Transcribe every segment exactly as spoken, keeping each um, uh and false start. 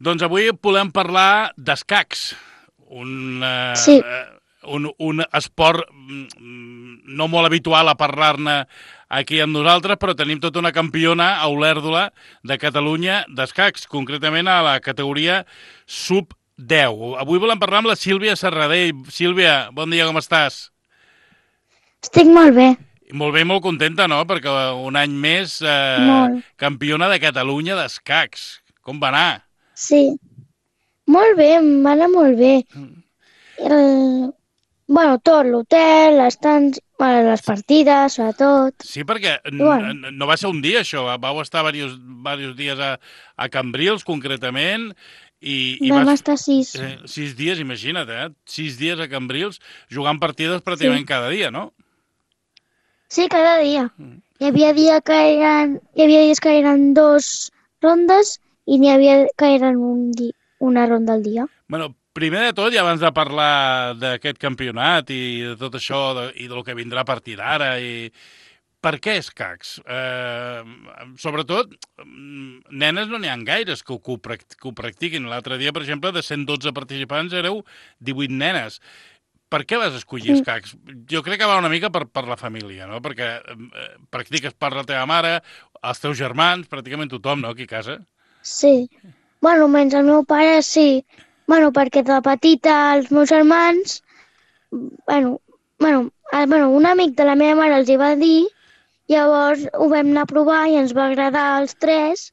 Doncs avui volem parlar d'escacs, un, Sí, eh, un, un esport mm, no molt habitual a parlar-ne aquí amb nosaltres, però tenim tota una campiona a Olèrdola de Catalunya d'escacs, concretament a la categoria sub deu. Avui volem parlar amb la Sílvia Serradell. Sílvia, bon dia, com estàs? estic molt bé, Molt bé, molt contenta, no?, perquè un any més eh, molt. campiona de Catalunya d'escacs. Com va anar? Sí, molt bé, em va anar molt bé. El... Bueno, tot, l'hotel, les, tants... bueno, les partides, sobretot. Sí, perquè I bueno, no va ser un dia, això. Vau estar diversos, diversos dies a, a Cambrils, concretament, i, i vam vas... estar sis. Eh, sis dies, imagina't, eh? Sis dies a Cambrils, jugant partides Sí, pràcticament cada dia, no? sí, cada dia. Hi havia, dia que eren... Hi havia dies que eren dos rondes i n'hi havia que eren un di... una ronda al dia. Bueno, primer de tot, i abans de parlar d'aquest campionat i de tot això, de, i del que vindrà a partir d'ara, i per què escacs? Eh, sobretot, mm, nenes no n'hi ha gaires que ho, que ho, prac- que ho practiquin. L'altre dia, per exemple, de cent dotze participants éreu divuit nenes. Per què vas escollir Mm, escacs? Jo crec que va una mica per, per la família, no? Perquè eh, practiques per la teva mare, els teus germans, pràcticament tothom, no?, aquí a casa. sí. Bueno, menys el meu pare, sí. Bueno, perquè de petita els meus germans bueno, bueno, eh, bueno, un amic de la meva mare els hi va dir, llavors ho vam anar a provar i ens va agradar als tres,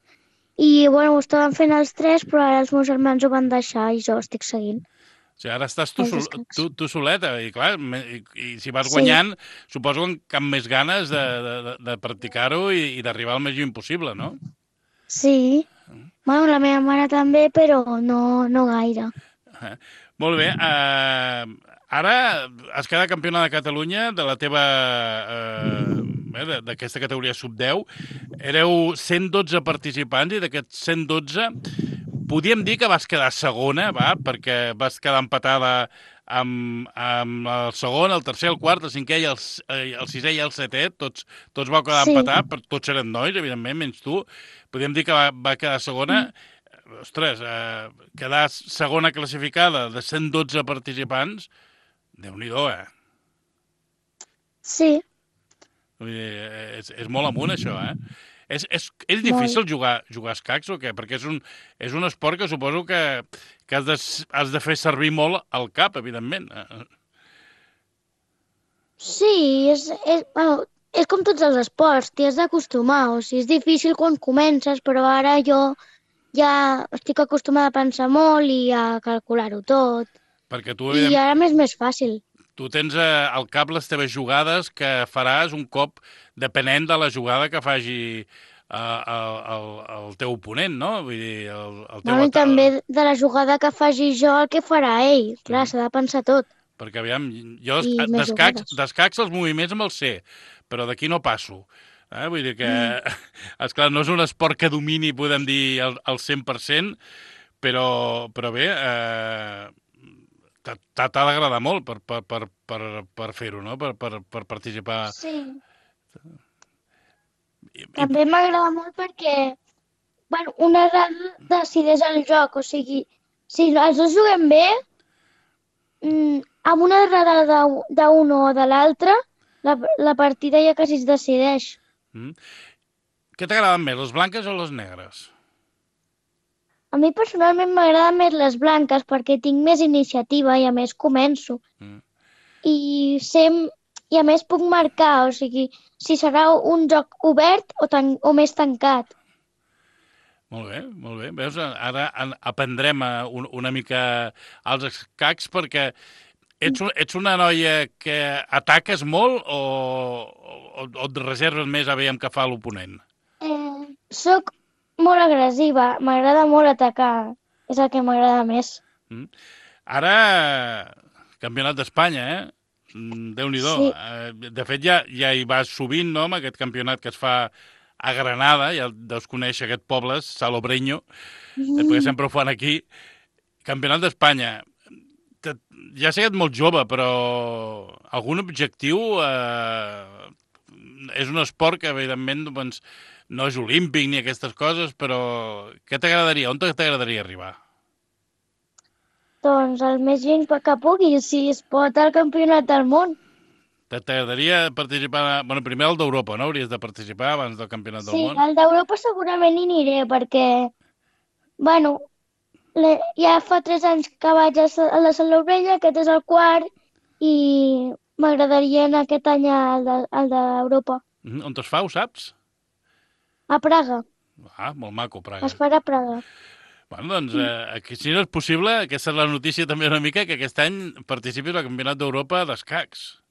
i bueno, ho estàvem fent els tres, però ara els meus germans ho van deixar i jo estic seguint O sigui, ara estàs tu, els sol, escacs. tu, tu soleta, i clar, me- i, i si vas Sí, guanyant, suposo que amb cap més ganes de, de, de de practicar-ho i, i d'arribar al més lluny possible, no? sí. Bueno, la meva mare també, però no, no gaire. Eh? Molt bé. Eh, ara has quedat campiona de Catalunya de la teva... Eh, eh, de- d'aquesta categoria sub deu. Éreu cent dotze participants i d'aquests cent dotze podíem dir que vas quedar segona, va? Perquè vas quedar empatada amb, amb el segon, el tercer, el quart, el cinquè i el, s- eh, el sisè i el setè. Tots, tots vau quedar Sí. empatats, però tots eren nois, evidentment, menys tu. Podríem dir que va, va quedar segona. Mm. Ostres, eh, quedar segona classificada de cent dotze participants, déu-n'hi-do, eh? Sí, Vull dir, és, és molt amunt, això, eh? És, és, és molt. difícil jugar, jugar a escacs o què? Perquè és un, és un esport que suposo que, que has, de, has de fer servir molt el cap, evidentment. Eh? Sí, és, és, bueno, és com tots els esports, t'hi has d'acostumar, o sigui, és difícil quan comences, però ara jo ja estic acostumada a pensar molt i a calcular-ho tot. Perquè tu, I evident, ara m'és més fàcil. tu tens eh, al cap les teves jugades que faràs un cop depenent de la jugada que faci eh, el, el, el teu oponent, no? Vull dir, el, el teu... Bueno, i ata- també de la jugada que faci jo, el que farà ell. Clar, Mhm. s'ha de pensar tot. Perquè, aviam, jo I més d'escacs jugades. d'escacs els moviments me'ls sé, però d'aquí no passo. Eh? Vull dir que, Mm. esclar, no és un esport que domini, podem dir, al, al cent per cent, però, però bé, eh, t'ha t'ha d'agradar molt per, per, per, per, per fer-ho, no?, per, per, per participar. Sí. I, i, També m'agrada molt perquè, bueno, una errada decideix el joc. O sigui, si els dos juguem bé, mm, amb una errada de- d'un o de l'altre, la, la partida ja quasi es decideix. mm. Què t'agraden més, les blanques o les negres? A mi personalment m'agraden més les blanques perquè tinc més iniciativa i a més començo. Mm. I, sem I a més puc marcar, o sigui, si serà un joc obert o, tan o més tancat. Molt bé, molt bé. Veus, ara en- aprendrem a un, una mica els escacs perquè ets, un, ets una noia que ataques molt o, o, o et reserves més a veure què fa l'oponent? Eh, soc molt agressiva, m'agrada molt atacar, és el que m'agrada més. Mm? Ara, campionat d'Espanya, eh? Mm, Déu-n'hi-do. Sí, Eh, De fet, ja, ja hi vas sovint, no?, amb aquest campionat que es fa a Granada, ja deus conèixer aquest poble, Salobreño, eh, perquè mm, sempre ho fan aquí. Campionat d'Espanya. Te- Ja sé que ets molt jove, però algun objectiu... Eh, és un esport que, evidentment, doncs, no és olímpic ni aquestes coses, però què t'agradaria? On t'agradaria arribar? Doncs el més lluny que pugui, si es pot al campionat del món. T'agradaria participar... Bueno, primer el d'Europa, no? Hauries de participar abans del Campionat del Sí, Món. al d'Europa segurament hi aniré, perquè, bueno, le- ja fa tres anys que vaig a Sa- a la Salobreña, aquest és el quart, i m'agradaria anar aquest any al de- al d'Europa. Mm, on es fa, ho saps? A Praga, Ah, molt maco, Praga. es farà a Praga. Bueno, doncs, eh, aquí, si no és possible, aquesta és la notícia també una mica, que aquest any participis al Campionat d'Europa d'escacs.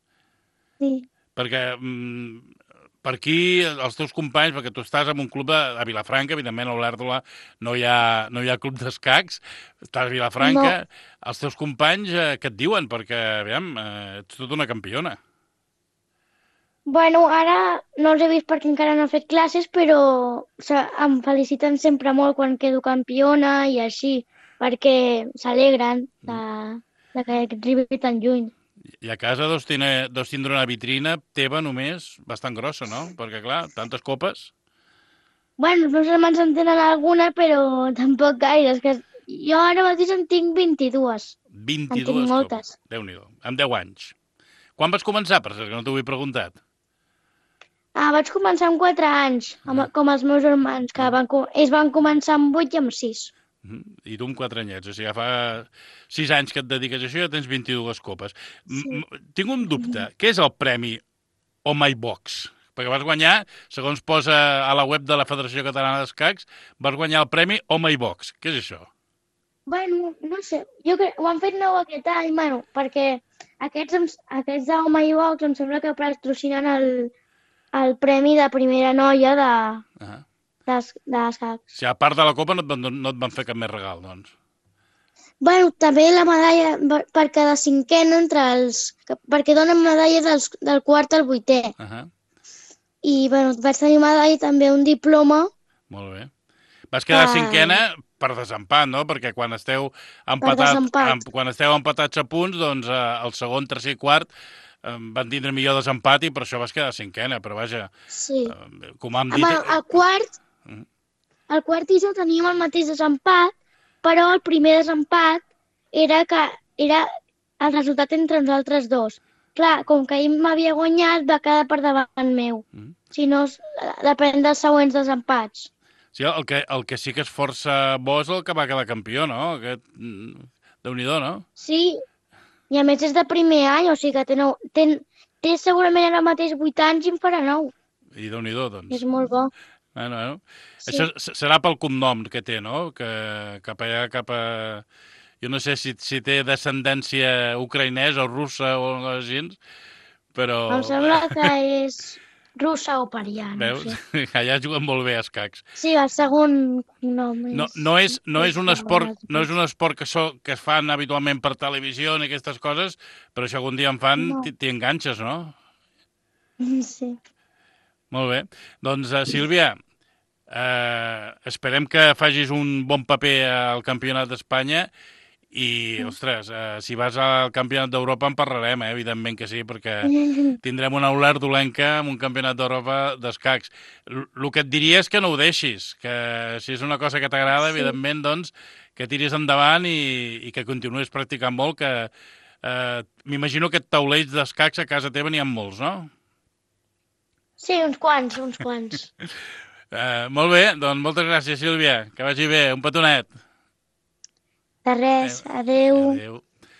Sí. Perquè mm, per aquí els teus companys, perquè tu estàs en un club de, a Vilafranca, evidentment a Olèrdola no hi ha, no hi ha club d'escacs, estàs a Vilafranca, no. Els teus companys eh, què et diuen? Perquè, aviam, eh, ets tota una campiona. Bueno, ara no els he vist perquè encara no he fet classes, però o sigui, em feliciten sempre molt quan quedo campiona i així, perquè s'alegren de, de que arribi tan lluny. I a casa deus, tindre, deus tindre una vitrina teva només bastant grossa, no? Perquè, clar, tantes copes... Bueno, els meus germans en tenen alguna, però tampoc gaire. És que jo ara mateix en tinc vint-i-dues. En tinc vint-i-dues moltes. copes. Déu-n'hi-do. Amb deu anys. Quan vas començar, per cert, que no t'ho he preguntat? Ah, vaig començar amb quatre anys, amb, com els meus germans, que van, co- ells van començar amb vuit i amb sis. Mhm. I tu amb quatre anyets. O sigui, ja fa sis anys que et dediques a això i ja tens vint-i-dues copes. Sí. M -m Tinc un dubte. Què és el premi Oh My Box? Perquè vas guanyar, segons posa a la web de la Federació Catalana d'Escacs, vas guanyar el premi Oh My Box. Què és això? Bueno, no sé, jo crec, ho han fet nou aquest any, bueno, perquè aquests, em- aquests de Home i Box em sembla que patrocinen el, el premi de primera noia de, Ah. d'es- d'escacs. Si a part de la copa no et, van, no et van fer cap més regal, doncs. Bueno, també la medalla per, per cada cinquena entre els... que- perquè donen medalla dels, del quart al vuitè. Ah. I, bueno, vaig tenir medalla i també un diploma. Molt bé. Vas quedar Ah. cinquena per desempat, no? Perquè quan esteu, empatat, desempat. em, quan esteu empatats a punts, doncs eh, el segon, tercer i quart eh, van tindre millor desempat i per això vas quedar cinquena. Però vaja, Sí. eh, com hem Amb dit... el, el quart, Mm. el quart i jo teníem el mateix desempat, però el primer desempat era que era el resultat entre nosaltres dos. Clar, com que ell m'havia guanyat, va quedar per davant meu. Mm. Si no, es- depèn dels següents desempats. Sí, el que, el que sí que és força bo és el que va quedar campió, no? Aquest... mm, Déu-n'hi-do, no? Sí, i a més és de primer any, o sigui que té, nou, té, té segurament ara mateix vuit anys i en farà nou. I Déu-n'hi-do, doncs. És molt bo. Bueno, bueno. Sí. Això s- serà pel cognom que té, no? Que cap allà, cap a... Jo no sé si, si té descendència ucraïnesa o russa o alguna cosa així, però... Em sembla que és russa o parià, no Veus? sé. Allà juguen molt bé a escacs. Sí, el segon nom és... No, no, és, no, és un esport, Bàsic. no és un esport que, so, que es fan habitualment per televisió ni aquestes coses, però si algun dia en fan, No. t'hi t'hi enganxes, no? Sí. Molt bé. Doncs, uh, Sílvia, eh, esperem que facis un bon paper al Campionat d'Espanya i, ostres, eh, si vas al Campionat d'Europa en parlarem, eh? Evidentment que sí, perquè tindrem una Olèrdolenca amb un Campionat d'Europa d'escacs. El que et diria és que no ho deixis, que si és una cosa que t'agrada, Sí. evidentment, doncs, que tiris endavant i, i que continuïs practicant molt, que eh, m'imagino que taulells d'escacs a casa teva n'hi ha molts, no? Sí, uns quants, uns quants. Eh, molt bé, doncs moltes gràcies, Sílvia. Que vagi bé. Un petonet. De res, adeu. Adéu.